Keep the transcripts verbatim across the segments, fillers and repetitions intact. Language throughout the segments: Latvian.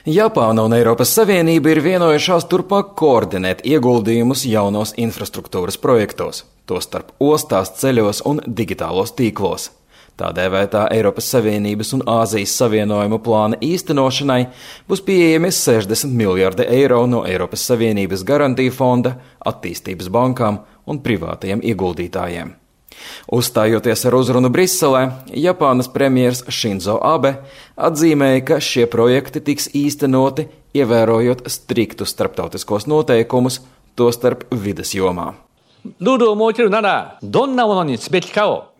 Japāna un Eiropas Savienība ir vienojušās turpmāk koordinēt ieguldījumus jaunos infrastruktūras projektos, tostarp ostās, ceļos un digitālos tīklos. Tā dēvētā Eiropas Savienības un Āzijas savienojumu plāna īstenošanai būs pieejami sešdesmit miljardi eiro no Eiropas Savienības garantiju fonda, attīstības bankām un privātajiem ieguldītājiem. Uzstājoties ar uzrunu Briselē, Japānas premjers Šinzo Abe atzīmēja, ka šie projekti tiks īstenoti, ievērojot striktus starptautiskos noteikumus, tostarp vides jomā.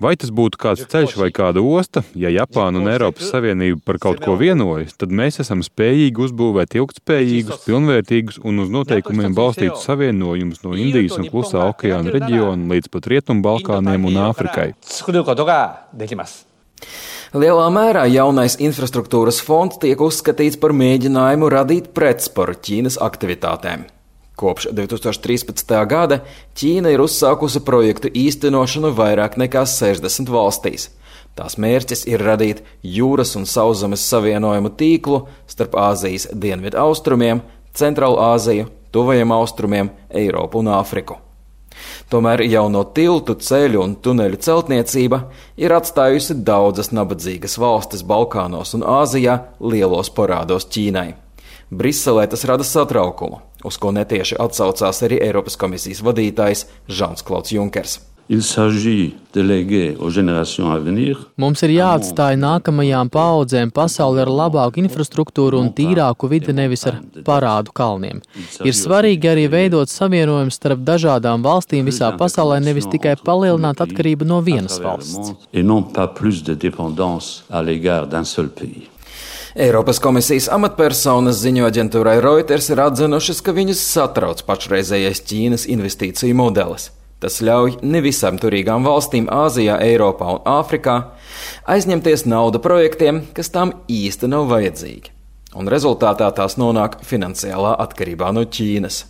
Vai tas būtu kāds ceļš vai kāda osta, ja Japāna un Eiropas Savienība par kaut ko vienojas, tad mēs esam spējīgi uzbūvēt ilgtspējīgus, pilnvērtīgus un uz noteikumiem balstītus savienojumus no Indijas un Klusā okeāna reģiona līdz pat Rietumbalkāniem un Āfrikai. Lielā mērā jaunais infrastruktūras fonds tiek uzskatīts par mēģinājumu radīt pretsparu Ķīnas aktivitātēm. Kopš divi tūkstoši trīspadsmitā gada Ķīna ir uzsākusi projektu īstenošanu vairāk nekā sešdesmit valstīs. Tās mērķis ir radīt jūras un sauszemes savienojumu tīklu starp Āzijas dienvidu austrumiem, Centrālu Āziju, Tuvajiem austrumiem, Eiropu un Āfriku. Tomēr jauno tiltu, ceļu un tuneļu celtniecība ir atstājusi daudzas nabadzīgas valstis Balkānos un Āzijā lielos parādos Ķīnai. Briselē tas rada satraukumu, uz ko netieši atsaucās arī Eiropas komisijas vadītājs Žans-Klauds Junkers. Mums ir jāatstāj nākamajām paaudzēm pasauli ar labāku infrastruktūru un tīrāku vidi, nevis ar parādu kalniem. Ir svarīgi arī veidot savienojumus starp dažādām valstīm visā pasaulē, nevis tikai palielināt atkarību no vienas valsts. Eiropas komisijas amatpersonas ziņo aģentūrai Reuters ir atzinušas, ka viņus satrauc pašreizējais Ķīnas investīciju modelis. Tas ļauj nevisām turīgām valstīm Āzijā, Eiropā un Āfrikā aizņemties naudu projektiem, kas tām īsti nav vajadzīgi. Un rezultātā tās nonāk finansiālā atkarībā no Ķīnas.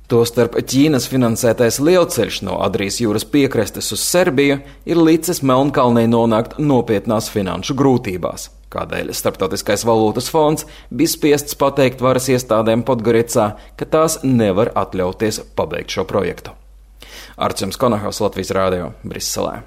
Tostarp Ķīnas finansētais lielceļš no Adrijas jūras piekrastes uz Serbiju ir licis Melnkalnei nonākt nopietnās finanšu grūtībās, kādēļ Starptautiskais valūtas fonds bija spiests pateikt varas iestādēm Podgoricā, ka tās nevar atļauties pabeigt šo projektu. Arčuns Konahaus, Latvijas Rādio, Briselē.